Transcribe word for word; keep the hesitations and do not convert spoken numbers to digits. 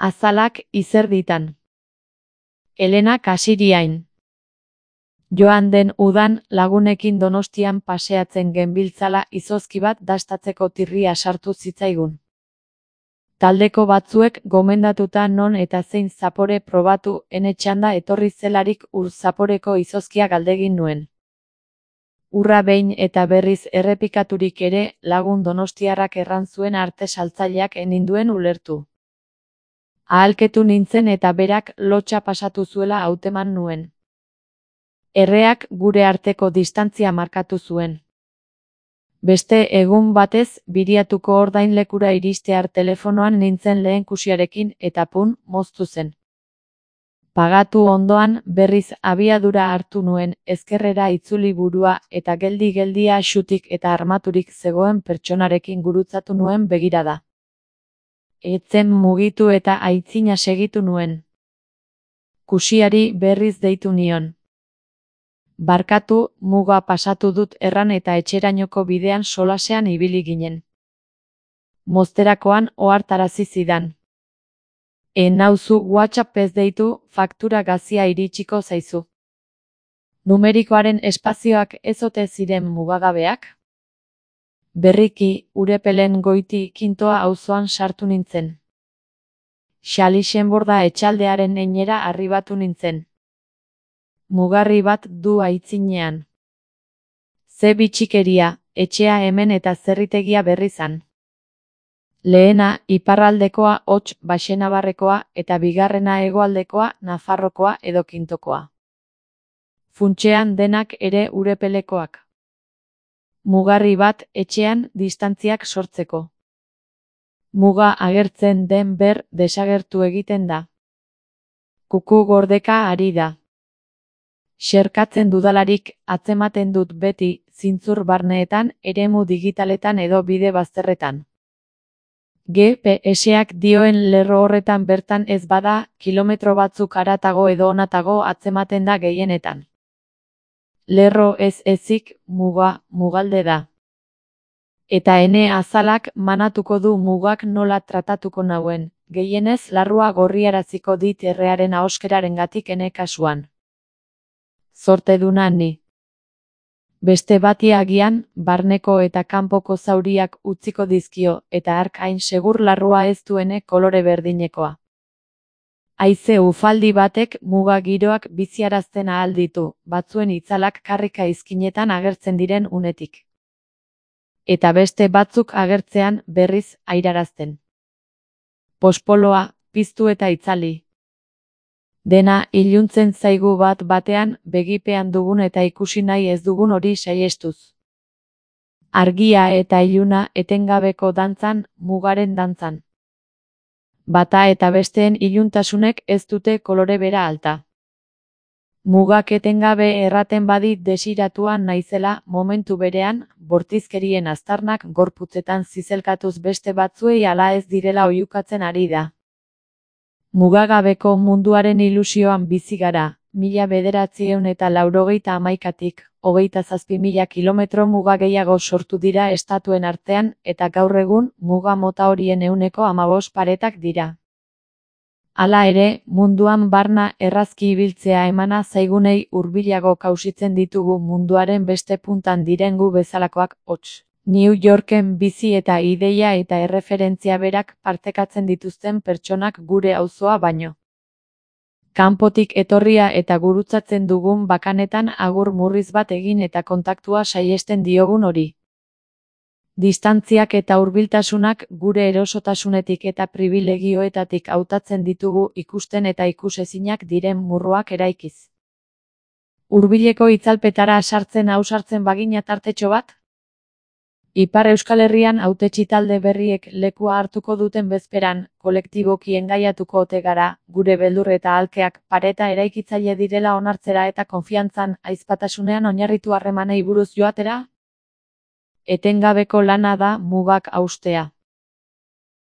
Azalak izerditan. Elena Kasiriain. Joan den udan lagunekin Donostian paseatzen genbiltzala izozki bat dastatzeko tirria sartu zitzaigun. Taldeko batzuek gomendatuta non eta zein zapore probatu ene txanda etorri zelarik ur zaporeko izozkia galdegin nuen. Urra behin eta berriz errepikaturik ere lagun donostiarrak erran zuen arte saltzaileak eninduen ulertu. Ahalketu nintzen eta berak lotxa pasatu zuela hauteman nuen. Erreak gure arteko distantzia markatu zuen. Beste egun batez biriatuko ordainlekura iristear telefonoan nintzen lehen kusiarekin eta pun moztu zen. Pagatu ondoan berriz abiadura hartu nuen ezkerrera itzuli burua eta geldi-geldia xutik eta armaturik zegoen pertsonarekin gurutzatu nuen begirada. Etzen mugitu eta aitzina segitu nuen. Kusiari berriz deitu nion. Barkatu, muga pasatu dut erran eta etxerainoko bidean solasean ibili ginen. Mozterakoan ohartarazi zidan. E nauzu WhatsAppez deitu, faktura gazia iritsiko zaizu. Numerikoaren espazioak ez ote ziren mugagabeak? Berriki, Urepelen goiti kintoa auzoan sartu nintzen. Xalixenborda etxaldearen einera arribatu nintzen. Mugarri bat du aitzinean. Ze bitxikeria, etxea hemen eta zerritegia berrizan. Lehena iparraldekoa hots Baxenabarrekoa eta bigarrena hegoaldekoa Nafarrokoa edo Kintokoa. Funtsean denak ere Urepelekoak. Mugarri bat etxean distantziak sortzeko. Muga agertzen den ber desagertu egiten da. Kuku gordeka ari da. Xerkatzen dudalarik atzematen dut beti zintzur barneetan, eremu digitaletan edo bide bazterretan. G P S-ak dioen lerro horretan bertan ez bada, kilometro batzuk haratago edo onatago atzematen da gehienetan. Lerro ez ezik, muga, mugalde da. Eta ene azalak manatuko du mugak nola tratatuko nauen, gehienez larrua gorriaraziko dit errearen ahoskerarengatik ene kasuan. Zorteduna ni. Beste bati agian, barneko eta kanpoko zauriak utziko dizkio, eta hark hain segur larrua ez duene kolore berdinekoa. Haize ufaldi batek muga giroak biziarazten ahal ditu, batzuen itzalak karrika izkinetan agertzen diren unetik. Eta beste batzuk agertzean berriz airarazten. Pospoloa, piztu eta itzali. Dena iluntzen zaigu bat batean begipean dugun eta ikusi nahi ez dugun hori saihestuz. Argia eta iluna etengabeko dantzan, mugaren dantzan. Bata eta besteen iluntasunek ez dute kolore bera alta. Mugak etengabe erraten badit desiratua naizela momentu berean, bortizkerien aztarnak gorputzetan zizelkatuz beste batzuei ala ez direla oihukatzen ari da. Mugagabeko munduaren ilusioan bizi gara, mila bederatziehun eta laurogeita hamaikatik, hogeita zazpi mila kilometro muga gehiago sortu dira estatuen artean, eta gaur egun, muga mota horien ehuneko hamabost paretak dira. Hala ere, munduan barna errazki ibiltzea emana zaigunei hurbilago kausitzen ditugu munduaren beste puntan diren gu bezalakoak hots. New Yorken bizi eta ideia eta erreferentzia berak partekatzen dituzten pertsonak gure auzoa baino. Kanpotik etorria eta gurutzatzen dugun bakanetan agur murriz bat egin eta kontaktua saihesten diogun hori. Distantziak eta hurbiltasunak gure erosotasunetik eta pribilegioetatik hautatzen ditugu ikusten eta ikusezinak diren murruak eraikiz. Hurbileko itzalpetara sartzen ausartzen bagina tartetxo bat? Ipar Euskal Herrian hautetsi talde berriek lekua hartuko duten bezperan, kolektiboki engaiatuko ote gara, gure beldur eta alkeak pareta eraikitzaile direla onartzera eta konfiantzan, ahizpatasunean oinarritu harremanei buruz joatera? Etengabeko lana da mugak haustea.